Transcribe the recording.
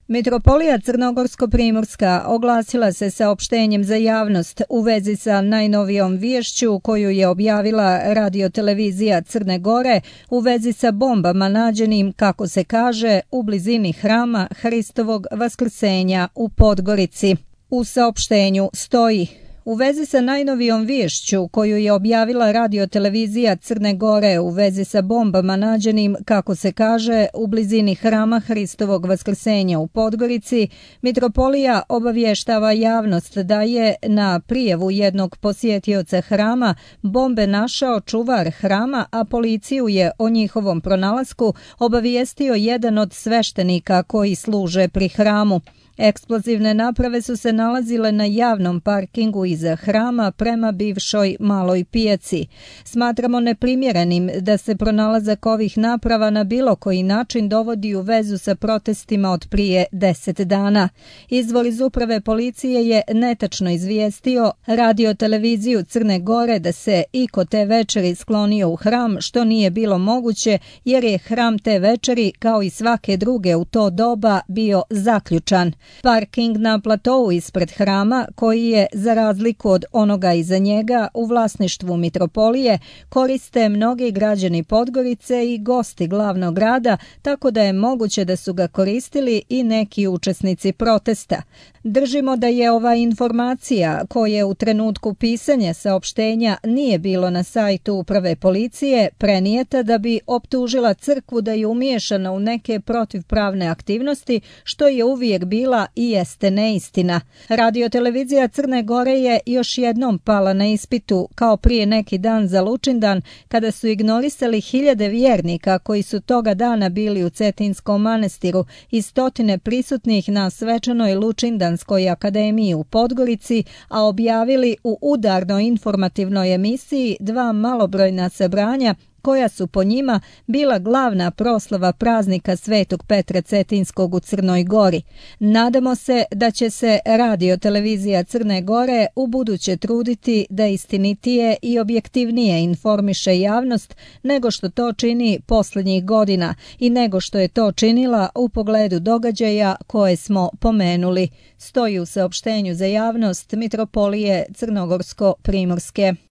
Mitropolija Crnogorsko-Primorska oglasila se saopštenjem za javnost u vezi sa najnovijom viješću koju je objavila radiotelevizija Crne Gore u vezi sa bombama nađenim, kako se kaže, u blizini hrama Hristovog Vaskrsenja u Podgorici. U saopštenju stoji: u vezi sa najnovijom viješću koju je objavila radiotelevizija Crne Gore u vezi sa bombama nađenim, kako se kaže, u blizini hrama Hristovog Vaskrsenja u Podgorici, Mitropolija obavještava javnost da je na prijavu jednog posjetioca hrama bombe našao čuvar hrama, a policiju je o njihovom pronalasku obavijestio jedan od sveštenika koji služe pri hramu. Eksplozivne naprave su se nalazile na javnom parkingu iza hrama prema bivšoj maloj pijaci. Smatramo neprimjerenim da se pronalazak ovih naprava na bilo koji način dovodi u vezu sa protestima od prije 10 dana. Izvor iz uprave policije je netačno izvijestio radioteleviziju Crne Gore da se iko te večeri sklonio u hram, što nije bilo moguće jer je hram te večeri, kao i svake druge u to doba, bio zaključan. Parking na platou ispred hrama, koji je, za razliku od onoga iza njega, u vlasništvu Mitropolije, koriste mnogi građani Podgorice i gosti glavnog grada, tako da je moguće da su ga koristili i neki učesnici protesta. Držimo da je ova informacija, koje u trenutku pisanja saopštenja nije bilo na sajtu uprave policije, prenijeta da bi optužila crkvu da je umiješana u neke protivpravne aktivnosti, što je uvijek bila i jeste neistina. Radiotelevizija Crne Gore je još jednom pala na ispitu, kao prije neki dan za Lučindan, kada su ignorisali hiljade vjernika koji su toga dana bili u Cetinskom manastiru i stotine prisutnih na svečanoj Lučindanskoj akademiji u Podgorici, a objavili u udarnoj informativnoj emisiji dva malobrojna sabranja koja su po njima bila glavna proslava praznika Svetog Petra Cetinskog u Crnoj Gori. Nadamo se da će se radiotelevizija Crne Gore ubuduće truditi da istinitije i objektivnije informiše javnost nego što to čini posljednjih godina i nego što je to činila u pogledu događaja koje smo pomenuli, stoji u saopštenju za javnost Mitropolije Crnogorsko-Primorske.